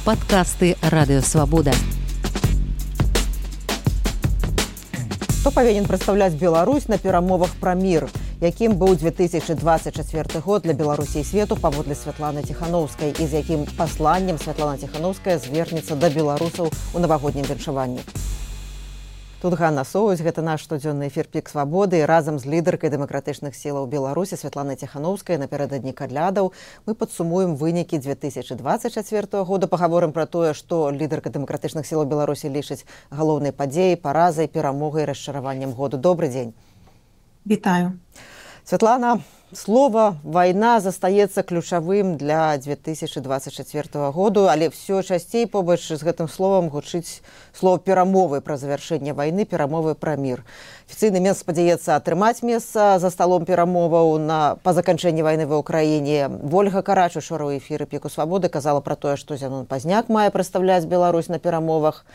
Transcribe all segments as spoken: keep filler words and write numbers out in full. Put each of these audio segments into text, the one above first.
Падкасты Радыёвабода. Хто павінен прадстаўляць Беларусь на перамовах пра мір? Якім быў две тысячы двадцать чацвёрты год для Беларусі і свету паводле Святланы Ціханаўскай і з якім пасланнем Святлана Ціханаўская звернецца да беларусаў у навагоднім віншаванні? Тут Ганна Соусь, гэта наш штодзённы эфір «Пік свабоды». Разам з лідаркай дэмакратычных сілаў Беларусі Святланай Ціханаўскай напярэдадні кадлядаў мы падсумуем вынікі две тысячы двадцать чацвёртага года, пагаворым пра тое, што лідарка дэмакратычных сілаў Беларусі лічыць галоўнай падзеяй, паразай, перамогай, расчараваннем году. Добры дзень. Вітаю. Святлана, слова «вайна» застаецца ключавым для две тысячы двадцать чацвёртага году, але ўсё часцей побач з гэтым словам гучыць слова «перамовы» пра завяршэнне вайны, перамовы пра мір. Афіцыйны Мінск спадзяецца атрымаць месца за сталом перамоваў на па заканчэнні вайны ва ўкраіне. Вольга Карач учора ў эфіры «Піку свабоды» казала пра тое, што Зянон Пазняк мае прадстаўляць Беларусь на перамовах.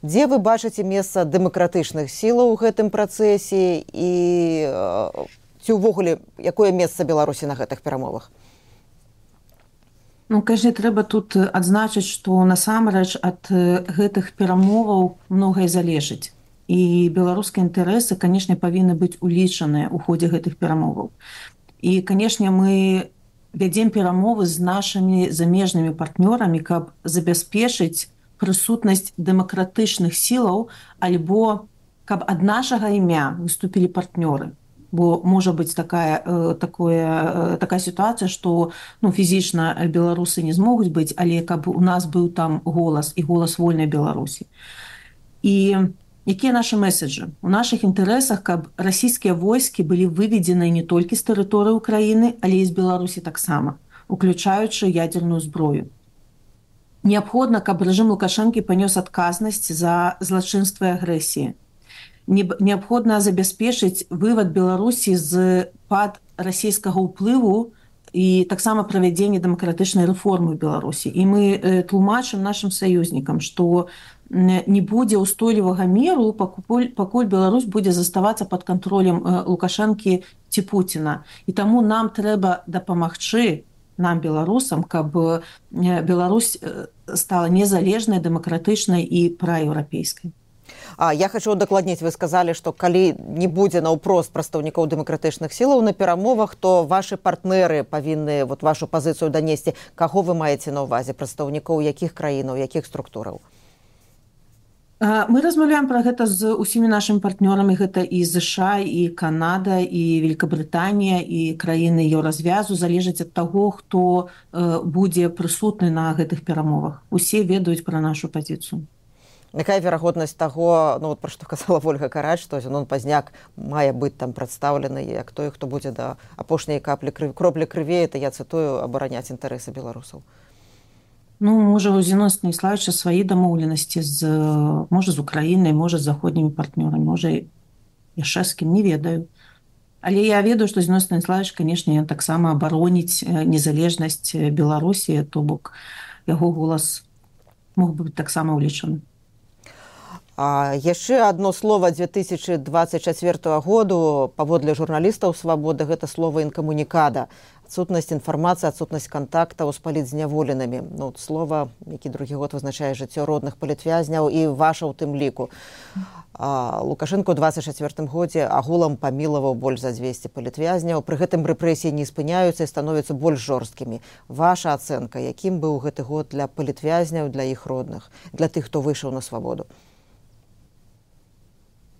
Дзе вы бачыце месца дэмакратычных сілаў у гэтым працэсе і ці ўвогуле якое месца Беларусі на гэтых перамовах? Ну, кажа, трэба тут адзначыць, што насамрэч ад гэтых перамоваў многае залежыць. І беларускія інтарэсы, канешне, павінны быць улічаныя ў ходзе гэтых перамоваў. І, канешне, мы вядзем перамовы з нашымі замежнымі партнёрамі, каб забяспечыць прысутнасць дэмакратычных сілаў, альбо каб ад нашага імя выступілі партнёры. Бо можа быць такая, такое, такая сітуацыя, што ну, фізічна беларусы не змогуць быць, але каб у нас быў там голас і голас вольнай Беларусі. І якія нашы меседжы? У нашых інтарэсах, каб расійскія войскі былі выведзены не толькі з тэрыторыі Украіны, але і з Беларусі таксама, уключаючы ядерную зброю. Неабходна, каб рэжым Лукашэнкі панёс адказнасць за злачынства і агрэсіі. Неабходна забяспечыць вывад Беларусі з-пад расійскага ўплыву і таксама правядзенне дэмакратычнай рэформы ў Беларусі. І мы тлумачым нашым саюзнікам, што не будзе ўстойлівага міру, пакуль, пакуль Беларусь будзе заставацца пад кантролем Лукашэнкі ці Пуціна. І таму нам трэба дапамагчы нам, беларусам, каб Беларусь стала незалежнай, дэмакратычнай і праеўрапейскай. А я хочу удакладніць, вы сказалі, што калі не будзе наўпрост прадстаўнікоў дэмакратычных сілаў на перамовах, то вашы партнеры павінны вот вашу пазіцыю данесці. Каго вы маеце на ўвазе? Прадстаўнікоў якіх краінаў, якіх структураў? Мы размаўляем пра гэта з усімі нашымі партнёрамі. Гэта і ЗША, і Канада, і Великабрытанія, і краіны еўразвязу. Залежыць ад таго, хто будзе прысутны на гэтых перамовах. Усе ведаюць пра нашу пазіцыю. Якая верагоднасць таго, ну, пра што казала Вольга Карач, што Зянон Пазняк мае быць там прадстаўлены як той, хто будзе да апошняй каплі крыві, кроплі крыві, это я цытую, абараняць інтарэсы беларусаў? Ну, можа, у Зянона Станіславовича свае дамоўленасці з, можа, з Украінай, можа, з заходнімі партнёрамі, можа, яшчэ з кім, не ведаю. Але я ведаю, што Зянон Станіславович, канешне, таксама абароніць незалежнасць Беларусі, то бок яго голас мог быць таксама ўлічаны. А яшчэ адно слова две тысячы двадцать чацвёртага году паводле журналістаў свабоды гэта слова інкамунікада. Адсутнасць інфармацыі, адсутнасць кантактаў з палітзняволенымі. Ну, слова, які другі год вызначае жыццё родных палітвязняў і ваша ў тым ліку. А Лукашэнка ў двадцать чацвёртым годзе агулам памілаваў больш за дзвесце палітвязняў. Пры гэтым рэпрэсіі не спыняюцца і становяцца больш жорсткімі. Ваша ацэнка, якім быў гэты год для палітвязняў, для іх родных, для тых, хто выйшаў на свабоду?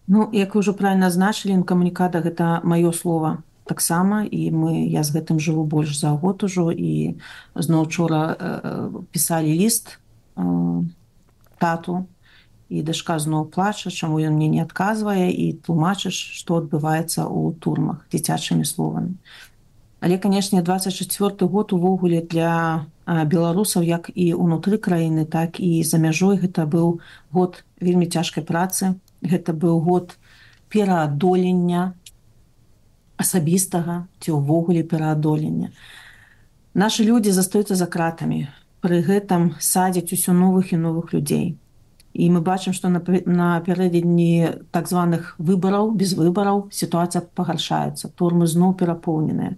Ну, як вы ўжо правільна азначылі, інкамунікада гэта маё слова таксама, і мы, я з гэтым жыву больш за год ужо, і зноў учора э, пісалі ліст э, тату, і дачка зноў плача, чаму ён мне не адказвае, і тлумачыш, што адбываецца ў турмах дзіцячымі словамі. Але, канешне, двадцать чацвёрты год увогуле для э, беларусаў, як і ўнутры краіны, так і за мяжой, гэта быў год вельмі цяжкай працы. Гэта быў год пераадолення асабістага ці ўвогуле пераадолення. Нашы людзі застаюцца за кратамі. Пры гэтым садзяць усё новых і новых людзей. І мы бачым, што напярэдадні так званых выбараў, без выбараў, сітуацыя пагаршаецца. Турмы зноў перапоўненыя.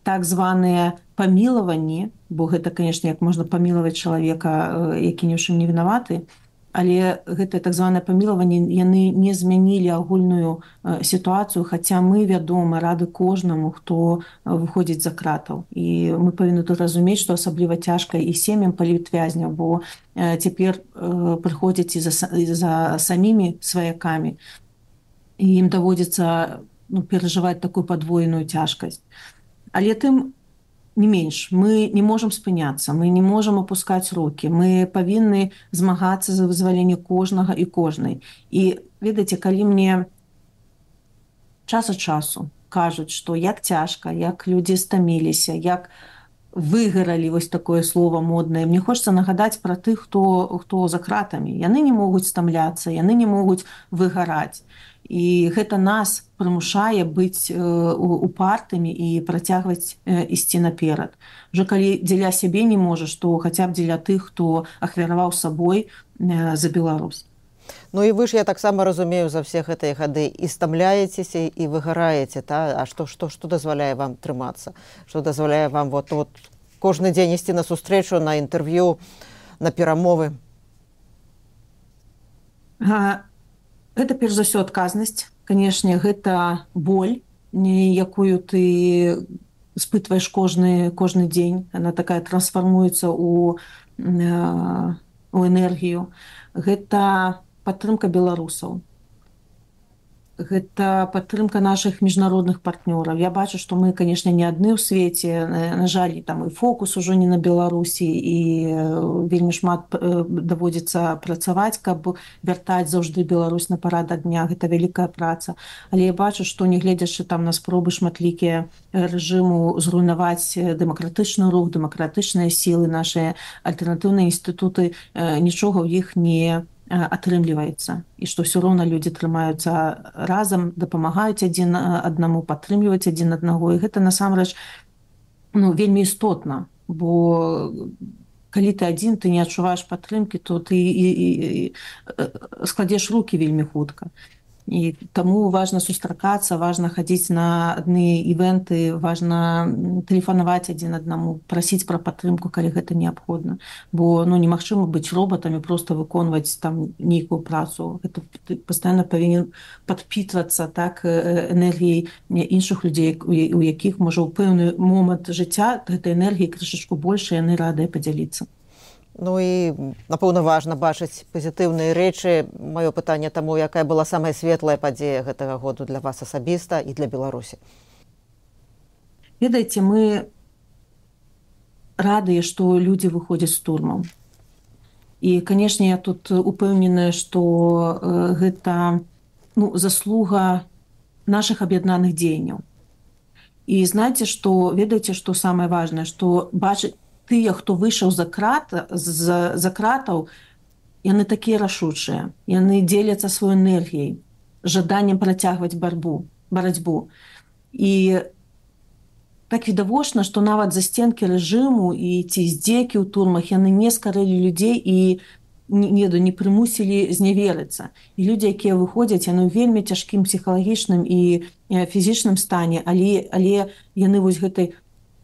так званыя памілаванні, бо гэта, канешне, як можна памілаваць чалавека, які ні ў чым не вінаваты, але гэтае так званае памілаванне, яны не змянілі агульную сітуацыю, хаця мы, вядома, рады кожнаму, хто выходзіць за кратаў. І мы павінны тут разумець, што асабліва цяжка і сем'ям палітвязняў, бо цяпер прыходзяць і за, і за самімі сваякамі, і ім даводзіцца ну, перажываць такую падвойную цяжкасць. Але тым не менш, мы не можам спыняцца, мы не можам апускаць рукі, мы павінны змагацца за вызваленне кожнага і кожнай. І, ведаеце, калі мне час ад часу кажуць, што як цяжка, як людзі стаміліся, як выгаралі, вось такое слово моднае, мне хочацца нагадаць пра тых, хто, хто за кратамі. Яны не могуць стамляцца, яны не могуць выгараць. І гэта нас прымушае быць упартымі і працягваць ісці наперад. Уже калі дзеля сябе не можаш, то хаця б дзеля тых, хто ахвяраваў сабой за Беларусь. Ну і вы ж, я таксама разумею, за все гэтыя гады і стамляецеся, і выгараеце, та? А што, што, што дазваляе вам трымацца? Што дазваляе вам вот, вот, кожны дзень ісці на сустрэчу, на інтэрв'ю, на перамовы? А... Гэта, перш за ўсё, адказнасць. Канешне, гэта боль, якую ты спытваеш кожны, кожны дзень. Яна такая трансфармуецца ў, у энергію. Гэта падтрымка беларусаў. Гэта падтрымка нашых міжнародных партнёраў. Я бачу, што мы, канешне, не адны ў свеце. На жаль, там і фокус ужо не на Беларусі, і вельмі шмат даводзіцца працаваць, каб вяртаць заўжды Беларусь на парадак дня. Гэта вялікая праца. Але я бачу, што нягледзячы там на спробы шматлікія рэжыму зруйнаваць дэмакратычны рух, дэмакратычныя сілы, нашыя альтэрнатыўныя інстытуты, нічога ў іх не атрымліваецца, і што ўсё роўна людзі трымаюцца разам, дапамагаюць адзін аднаму, падтрымліваюць адзін аднаго, і гэта насамрэч ну, вельмі істотна, бо калі ты адзін, ты не адчуваеш падтрымкі, то ты і, і, і складзеш рукі вельмі хутка. І таму важна сустракацца, важна хадзіць на адны івенты, важна тэлефанаваць адзін аднаму, прасіць пра падтрымку, калі гэта неабходна. Бо ну, немагчыма быць робатамі, проста выконваць там нейкую працу. Гэта ты пастаянна павінен падпітвацца так, энергіяй іншых людзей, у якіх, можа, у пэўны момант жыцця гэтай энергіі крышачку больш, яны радыя падзяліцца. Ну і, напэўна, важна бачыць пазітыўныя рэчы. Маё пытанне таму, якая была самая светлая падзея гэтага году для вас асабіста і для Беларусі? Ведаеце, мы радыя, што людзі выходзяць з турмаў. І, канешне, я тут упэўненая, што гэта ну, заслуга нашых аб'яднаных дзеянняў. І знаеце, што, ведаеце, што самае важнае, што бачыць тыя, хто выйшаў за крата, за, за кратаў, яны такія рашучыя. Яны дзеляцца сваёй энергіяй, жаданнем працягваць барбу, барацьбу. І так відавочна, што нават засценкі рэжыму і ці здзекі ў турмах, яны не скарэлі людзей і не, не прымусілі зняверыцца. І людзі, якія выходзяць, яны ў вельмі цяжкім псіхалагічным і фізічным стане, але, але яны вось гэтай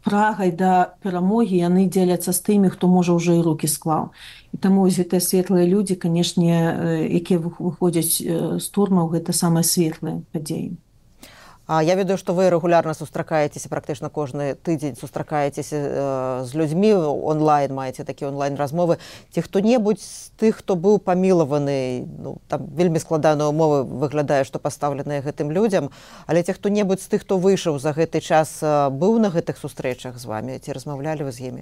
прагай да перамогі, яны дзеляцца з тымі, хто можа ўжо і рукі склаў. І таму вось гэтыя светлыя людзі, канешне, якія выходзяць з турмаў, гэта самыя светлыя падзеі. А я ведаю, што вы рэгулярна сустракаецеся, практычна кожны тыдзень сустракаецеся э, з людзьмі онлайн, маеце такія онлайн-размовы. Ці хто-небудзь з тых, хто быў памілаваны, ну, там вельмі складаныя ўмовы выглядае, што пастаўленыя гэтым людзям, але ці хто-небудзь з тых, хто выйшаў за гэты час, быў на гэтых сустрэчах з вамі, ці размаўлялі вы з імі?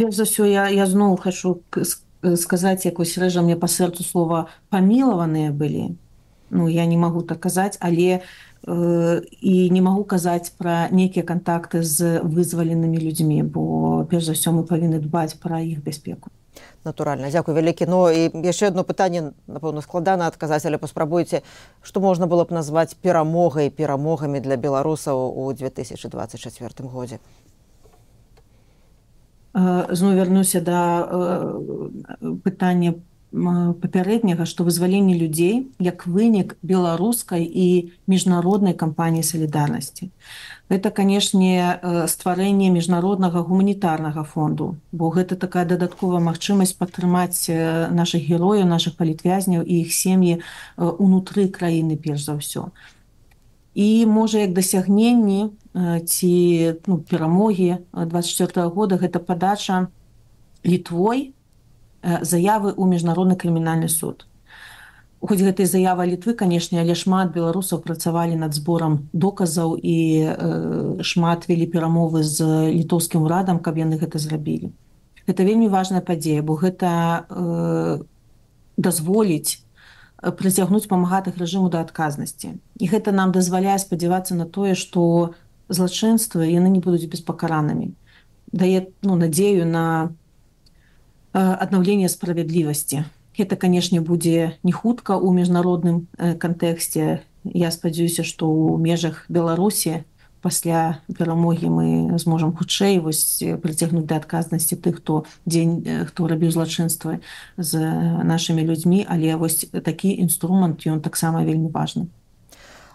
Перш за ўсё, я, я зноў хачу сказаць, якось рэжа мне па сэрцу слова «памілаваныя» былі. Ну, я не магу так казаць, але э, і не магу казаць пра нейкія кантакты з вызваленымі людзьмі, бо перш за ўсё мы павінны дбаць пра іх бяспеку. Натуральна, дзякуй вялікі. Ну і яшчэ адно пытанне, напэўна, складана адказаць, але паспрабуйце, што можна было б назваць перамогай, перамогамі для беларусаў у две тысячы дваццаць чацвёртым годзе? Зноў вярнуся да пытання папярэдняга, што вызваленне людзей як вынік беларускай і міжнароднай кампаніі салідарнасці. Гэта, канешне, стварэнне міжнароднага гуманітарнага фонду, бо гэта такая дадатковая магчымасць падтрымаць нашых герояў, нашых палітвязняў і іх сем'і унутры краіны перш за ўсё. І можа як дасягненні ці ну, перамогі двадцать четвёртого года гэта падача Літвой заявы ў міжнародны крымінальны суд. Хоць гэтай заявы Літвы, канешне, але шмат беларусаў працавалі над зборам доказаў і э, шмат вялі перамовы з літоўскім урадам, каб яны гэта зрабілі. Гэта вельмі важная падзея, бо гэта э, дазволіць прыцягнуць памагатых рэжыму да адказнасці. І гэта нам дазваляе спадзявацца на тое, што злачынствы яны не будуць беспакаранымі. Дае ну, надзею на э, аднаўленне справядлівасці. Гэта, канешне, будзе не хутка ў міжнародным кантэксце. Я спадзяюся, што ў межах Беларусі пасля перамогі мы зможам хутчэй вось прыцягнуць да адказнасці тых, хто дзень, хто рабіў злачынствы з нашымі людзьмі, але вось такі інструмент, ён таксама вельмі важны.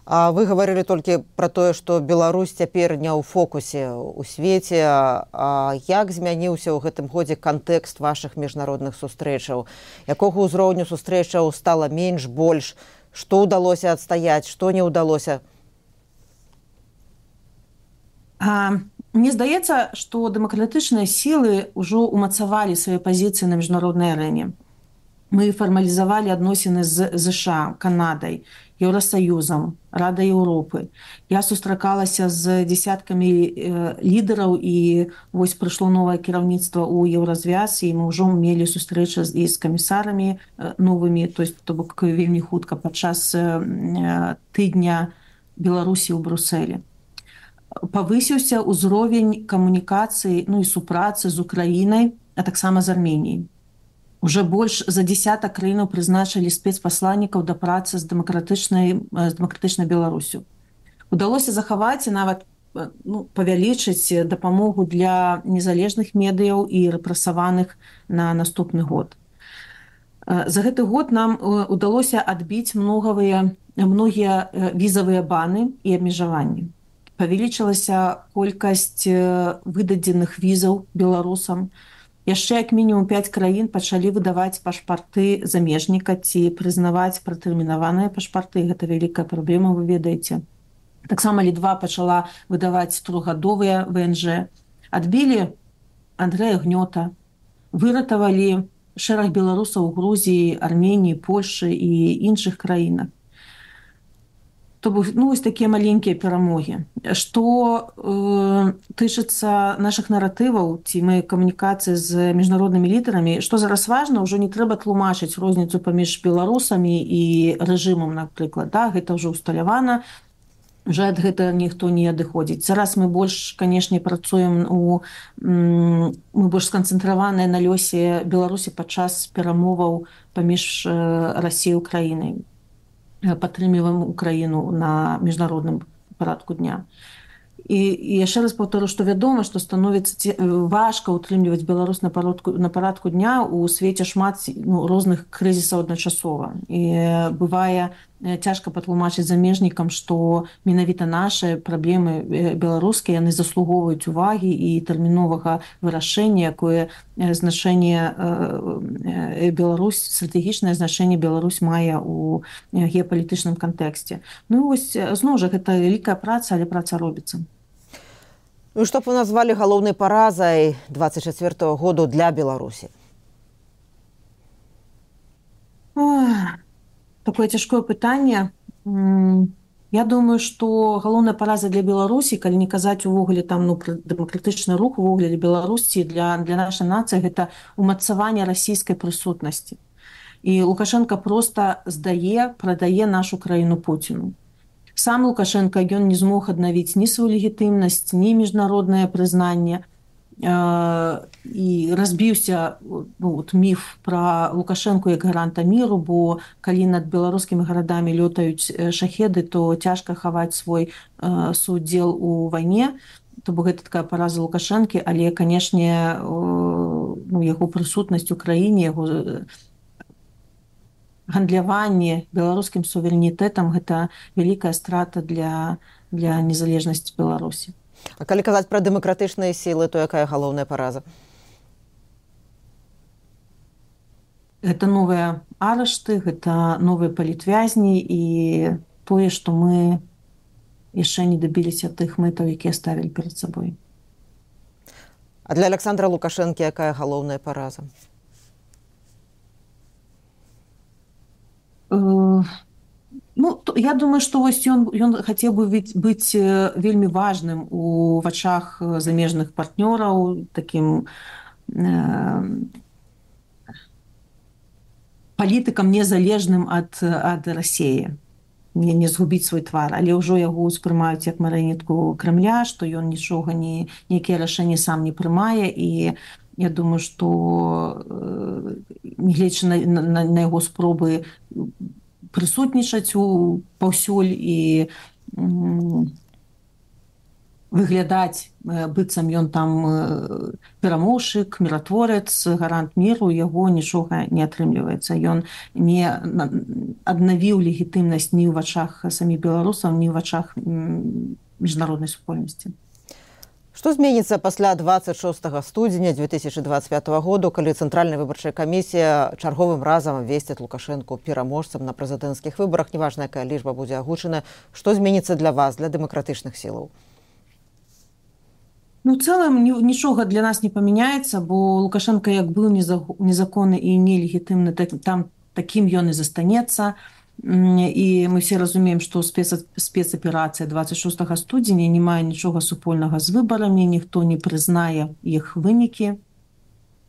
А вы гаварылі толькі пра тое, што Беларусь цяпер не ў фокусе ў свеце. А як змяніўся ў гэтым годзе кантэкст вашых міжнародных сустрэчаў? Якога ўзроўню сустрэчаў стала менш, больш? Што ўдалося адстаяць, што не ўдалося? А, мне здаецца, што дэмакратычныя сілы ўжо ўмацавалі свае пазіцыі на міжнароднай арэне. Мы фармалізавалі адносіны з ЗША, Канадай, Еўрасаюзам, Радай Еўропы. Я сустракалася з дзесяткамі э, лідараў і вось прыйшло новае кіраўніцтва ў Еўразвяз, і мы ўжо мелі сустрэчы і з камісарамі э, новымі, то есть то бок вельмі хутка падчас э, тыдня Беларусі ў Брусэлі. Павысіўся ўзровень камунікацыі, ну і супрацы з Украінай, а таксама з Арменіяй. Уже больш за десятак краінаў прызначылі спецпасланнікаў да працы з дэмакратычнай, з дэмакратычнай Беларусю. Удалося захаваць і нават ну, павялічыць дапамогу для незалежных медыяў і рэпрэсаваных на наступны год. За гэты год нам удалося адбіць многавыя, многія візавыя баны і абмежаванні. Павялічылася колькасць выдадзеных візаў беларусам. Яшчэ як мінімум пяць краін пачалі выдаваць пашпарты замежніка ці прызнаваць пратэрмінаваныя пашпарты. Гэта вялікая праблема, вы ведаеце. Таксама Літва пачала выдаваць трохгадовыя вэ эн жэ. Адбілі Андрэя Гнёта, выратавалі шэраг беларусаў у Грузіі, Арменіі, Польшы і іншых краінах. То бок, ну, вось такія маленькія перамогі. Што э, тычыцца нашых наратываў, ці мы камунікацыі з міжнароднымі лідарамі, што зараз важна, ўжо не трэба тлумачыць розніцу паміж беларусамі і рэжымам, напрыклад. Да? Гэта ўжо ўсталявана, уже ад гэтага ніхто не адыходзіць. Зараз мы больш, канешне, працуем у... Мы больш сканцэнтраваныя на лёсе Беларусі падчас перамоваў паміж Расіяй і Украінай. Падтрымліваем Украіну на міжнародным парадку дня. І, і яшчэ раз паўтору, што вядома, што становіцца важка ўтрымліваць Беларусь на парадку, на парадку дня ў свеце шмат ну, розных крызісаў адначасова. І бывае цяжка патлумачыць замежнікам, што менавіта нашы праблемы беларускія, яны заслугоўваюць увагі і тэрміновага вырашэння, якое значэнне Беларусь, стратэгічнае значэнне Беларусь мае ў геапалітычным кантэксце. Ну вось, зноў жа, гэта вялікая праца, але праца робіцца. Ну, што б вы назвалі галоўнай паразай двадцать четвёртого году для Беларусі? Ох, такое цяжкое пытанне. Я думаю, што галоўная параза для Беларусі, калі не казаць увогуле там ну, дэмакратычны рух увогуле для Беларусі, для, для нашай нацыі, гэта умацаванне расійскай прысутнасці. І Лукашенко проста здае, прадае нашу краіну Пуціну. Сам Лукашенко, ён не змог аднавіць ні сваю легітымнасць, ні міжнароднае прызнанне. Э, і разбіўся ну, міф пра Лукашенко як гаранта міру, бо калі над беларускімі гарадамі лётаюць шахеды, то цяжка хаваць свой э, суудзел у вайне. То бок гэта такая параза Лукашэнкі, але, канешне, э, ну, яго прысутнасць у краіне, яго гандляванне беларускім суверэнітэтам гэта вялікая страта для, для незалежнасці Беларусі. А калі казаць пра дэмакратычныя сілы, то якая галоўная параза? Гэта новыя арышты, гэта новыя палітвязні і тое, што мы яшчэ не дабіліся тых мэтаў, якія ставілі перад сабой. А для Александра Лукашэнкі якая галоўная параза? Ну, то, я думаю, што вось ён, ён хацеў бы быць, быць вельмі важным у вачах замежных партнёраў, такім э, палітыкам незалежным ад, ад Расіі, не, не згубіць свой твар, але ўжо яго ўспрымаюць як марыянетку Крамля, што ён нічога не, нейкія рашэнні сам не прымае, і я думаю, што э, нягледзячы на, на, на яго спробы прысутнічаць у паўсюль і м, выглядаць быццам ён там перамоўшчык, міратворец, гарант міру, яго нічога не атрымліваецца. Ён не аднавіў легітымнасць ні ў вачах саміх беларусаў, ні ў вачах міжнароднай супольнасці. Што зменіцца пасля дваццаць шостага студзеня две тысячи двадцать пятого году, калі Цэнтральная выбарчая камісія чарговым разам абвесціць Лукашэнку пераможцам на прэзідэнцкіх выбарах, неважна, якая лічба будзе агучана. Што зменіцца для вас, для дэмакратычных сілаў? Ну, в цэлым нічога для нас не памяняецца, бо Лукашенко як быў незаконны і нелегітымны, там такім ён і застанецца. І мы все разумеем, што спецаперацыя дваццаць шостага студзеня не мае нічога супольнага з выбарамі, ніхто не прызнае іх вынікі.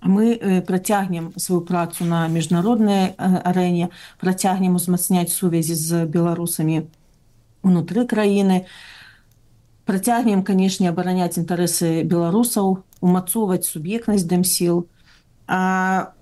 Мы працягнем сваю працу на міжнароднай арэне, працягнем узмацняць сувязі з беларусамі унутры краіны, працягнем, канешне, абараняць інтарэсы беларусаў, умацоўваць суб'ектнасць дэмсіл. А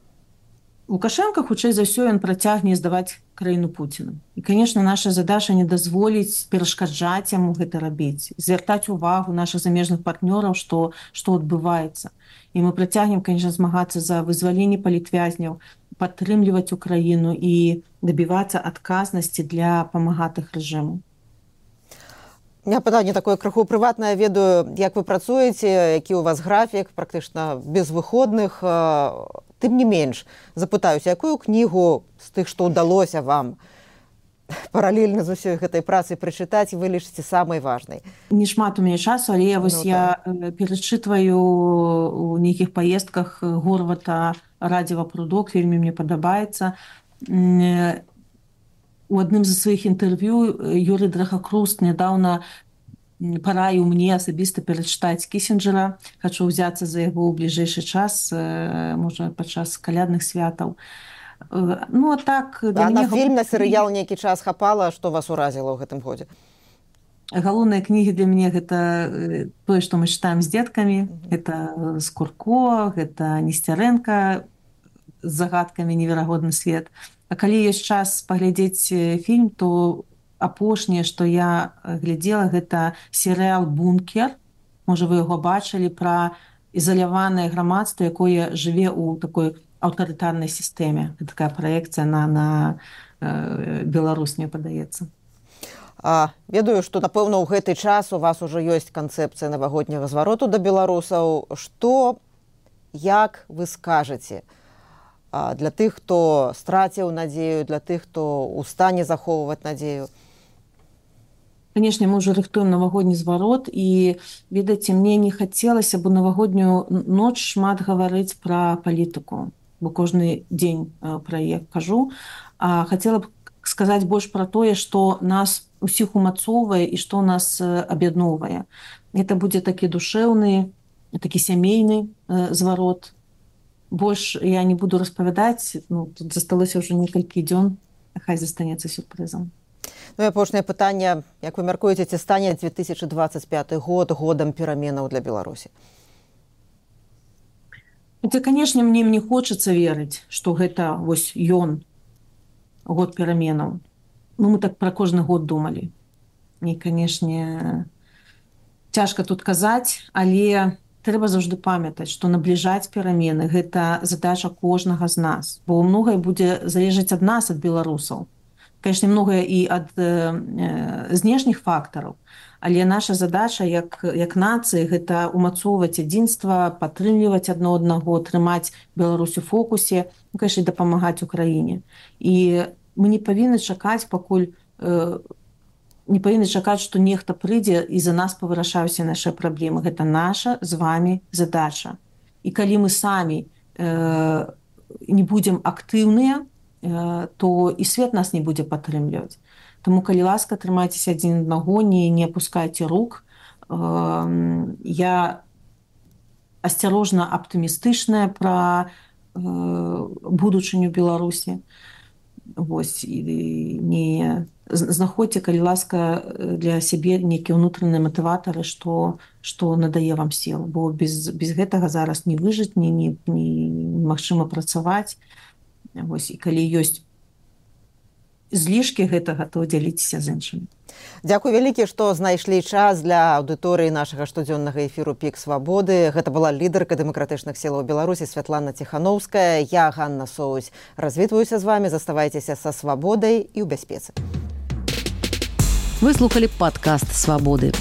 Лукашенко, хутчэй за ўсё, ён працягне здаваць краіну Пуціну. І, канешне, наша задача не дазволіць перашкаджаць яму гэта рабіць, звяртаць увагу нашых замежных партнёраў, што, што адбываецца. І мы працягнем, канешне, змагацца за вызваленне палітвязняў, падтрымліваць Украіну і дабівацца адказнасці для памагатых рэжыму. У меня пытанне такое крыху прыватнае. Ведаю, як вы працуеце, які ў вас графік, практычна без выходных. Тым не менш, запытаюся, якую кнігу з тых, што ўдалося вам паралельна з усёй гэтай працай прачытаць, вы лічыце самай важнай? Не шмат у мяне часу, але вось ну, я так. перачытваю у нейкіх паездках Горвата «Радзіва прудок», вельмі мне падабаецца. У адным з сваіх інтэрв'ю Юрый Драхакруст нядаўна параіў мне асабіста перачытаць Кісінджера. Хачу ўзяцца за яго ў бліжэйшы час, можа, падчас калядных святаў. Ну, а так... А на фільм, на серыял нейкі час хапала, што вас уразіла ў гэтым годзе? Галоўныя кнігі для мяне гэта тое, што мы чытаем з дзеткамі. Mm-hmm. Гэта Скурко, гэта Несцярэнка з загадкамі «Неверагодны свет». А калі ёсць час паглядзець фільм, то апошняе, што я глядзела, гэта серыял «Бункер». Можа, вы яго бачылі, пра ізаляванае грамадства, якое жыве ў такой аўтарытарнай сістэме. Гэта такая праекцыя на, на э, Беларусь, мне падаецца. А, ведаю, што, напэўна, ў гэты час у вас ужо ёсць канцэпцыя навагодняга звароту да беларусаў. Што, як вы скажаце а, для тых, хто страціў надзею, для тых, хто ў стане захоўваць надзею? Канешне, мы ўжо рыхтуем навагодні зварот, і, ведаеце, мне не хацелася б у навагоднюю ноч шмат гаварыць пра палітыку, бо кожны дзень пра яе кажу, а хацела б сказаць больш пра тое, што нас усіх умацоўвае і што нас аб'ядноўвае. Гэта будзе такі душэўны, такі сямейны зварот. Больш я не буду распавядаць, ну, тут засталося ўжо некалькі дзён, хай застанецца сюрпрызам. Ну і апошняе пытанне, як вы мяркуеце, ці стане две тысячи двадцать пятый год годам пераменаў для Беларусі? Это, канешне, мне не хочацца верыць, што гэта вось ён, год пераменаў. Ну, мы так пра кожны год думалі. І, канешне, цяжка тут казаць, але трэба заўжды памятаць, што набліжаць перамены гэта задача кожнага з нас, бо многае будзе залежаць ад нас, ад беларусаў. Канешне, многае і ад э, знешніх фактараў, але наша задача як, як нацыі гэта умацоўваць адзінства, падтрымліваць адно аднаго, трымаць Беларусь у фокусе, ну, канешне, дапамагаць Украіне. І мы не павінны чакаць, пакуль э, не павінны чакаць, што нехта прыйдзе і за нас павырашаюцца нашы праблемы. Гэта наша з вами задача. І калі мы самі э, не будзем актыўныя, то і свет нас не будзе падтрымліваць. Таму, калі ласка, трымайцеся адзін аднаго, не, не апускайце рук. Я асцярожна аптымістычная пра будучыню Беларусі. Вось, і не знаходзьце, калі ласка, для сябе нейкія ўнутраныя матыватары, што, што надае вам сіл. Бо без, без гэтага зараз не выжыць, не, не, не, немагчыма працаваць. Вось, і калі ёсць злішкі гэтага, то дзяліцеся з іншымі. Дзякуй вялікі, што знайшлі час для аўдыторыі нашага штодзённага эфіру «Пік свабоды». Гэта была лідарка дэмакратычных сілаў Беларусі Святлана Ціхановская. Я, Ганна Соусь, развітваюся з вамі. Заставайцеся са свабодай і ў бяспецы. Вы слухалі падкаст «Свабоды».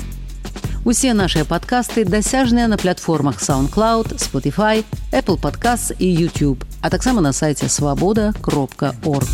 Усе нашыя падкасты дасяжныя на платформах SoundCloud, Spotify, Apple Podcasts і YouTube, а таксама на сайце свабода кропка орг.